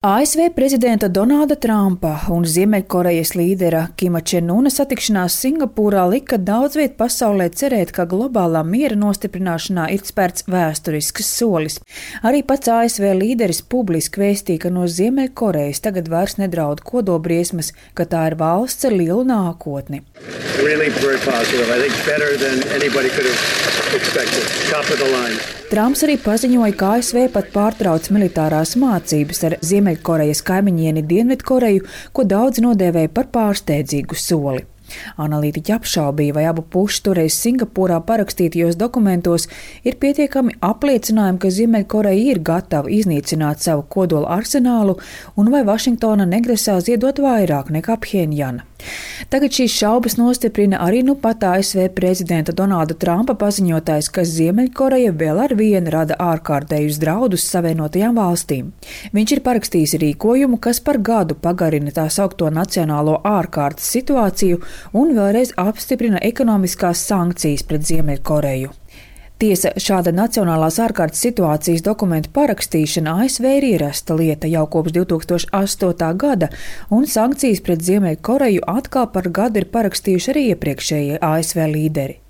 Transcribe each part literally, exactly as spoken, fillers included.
A S V prezidenta Donalda Trumpa un Ziemeļkorejas līdera Kima Čen Una satikšanās Singapūrā lika daudz viet pasaulē cerēt, ka globālā miera nostiprināšanā ir spērts vēsturisks solis. Arī pats A S V līderis publiski vēstīja, ka no Ziemeļkorejas tagad vairs nedraud kodolbriesmas, ka tā ir valsts ar lielu nākotni. Really very positive. I think better than anybody could have expected. Top of the line. Trumps arī paziņoja, ka A S V pat pārtrauc militārās mācības ar Ziemeļkorejas kaimiņieni Dienvidkoreju, ko daudzi nodēvēja par pārsteidzīgu soli. Analītiķi apšaubīja, vai abu pušu toreiz Singapūrā parakstītajos dokumentos ir pietiekami apliecinājumi, ka Ziemeļkoreja ir gatava iznīcināt savu kodola arsenālu un vai Vašingtona negrasās iedot vairāk nekā Pjenjana. Tagad šīs šaubas nostiprina arī nu pat A S V prezidenta Donalda Trumpa paziņotājs, ka Ziemeļkoreja vēl ar vienu rada ārkārtējus draudus Savienotajām valstīm. Viņš ir parakstījis rīkojumu, kas par gadu pagarina tā saukto nacionālo ārkārtas situāciju un vēlreiz apstiprina ekonomiskās sankcijas pret Ziemeļkoreju. Tiesa, šāda nacionālās ārkārtas situācijas dokumentu parakstīšana A S V ir ierasta lieta jau kopš divi tūkstoši astotā gada, un sankcijas pret Ziemeļkoreju atkal par gadu ir parakstījuši arī iepriekšējie A S V līderi.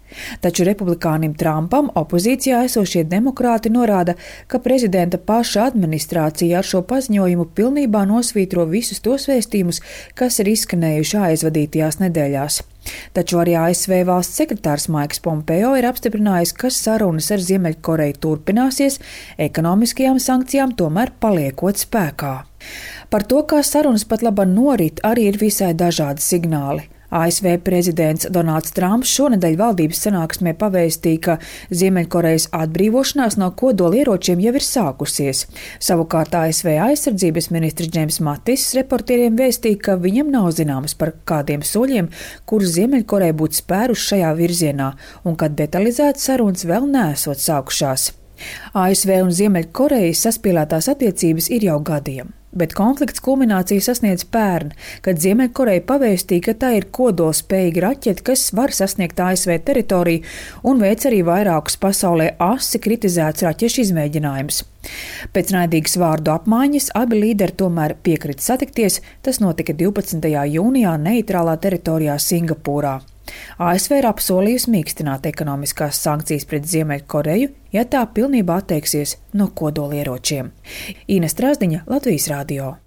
Taču republikānim Trumpam opozīcijā esošie demokrāti norāda, ka prezidenta paša administrācija ar šo paziņojumu pilnībā nosvītro visus tos vēstījumus, kas ir izskanējuši aizvadītajās nedēļās. Taču arī A S V valsts sekretārs Maiks Pompeo ir apstiprinājis, ka sarunas ar Ziemeļkoreju turpināsies, ekonomiskajām sankcijām tomēr paliekot spēkā. Par to, kā sarunas pat labāk norit, arī ir visai dažādi signāli. A S V prezidents Donalds Trumps šonedēļ valdības sanāksmē pavēstīja, ka Ziemeļkorejas atbrīvošanās no kodolieročiem jau ir sākusies. Savukārt A S V aizsardzības ministrs Džeims Matis reportieriem vēstīja, ka viņam nav zināms par kādiem soļiem, kurus Ziemeļkoreja būtu spērus šajā virzienā, un ka detalizētas sarunas vēl neesot sākušās. A S V un Ziemeļkorejas saspīlētās attiecības ir jau gadiem. Bet konflikts kulmināciju sasniedz pērn, kad Ziemeļkoreja pavēstīja, ka tā ir kodolspējīga raķete, kas var sasniegt A S V teritoriju un veic arī vairākus pasaulē asi kritizēts raķešu izmēģinājumus. Pēc naidīgas vārdu apmaiņas abi līderi tomēr piekrita satikties, tas notika divpadsmitajā jūnijā neitrālā teritorijā Singapūrā. A S V ir apsolījusi mīkstināt ekonomiskās sankcijas pret Ziemeļkoreju, ja tā pilnībā atteiksies no kodolieročiem. Ines Trasdiņa, Latvijas radio.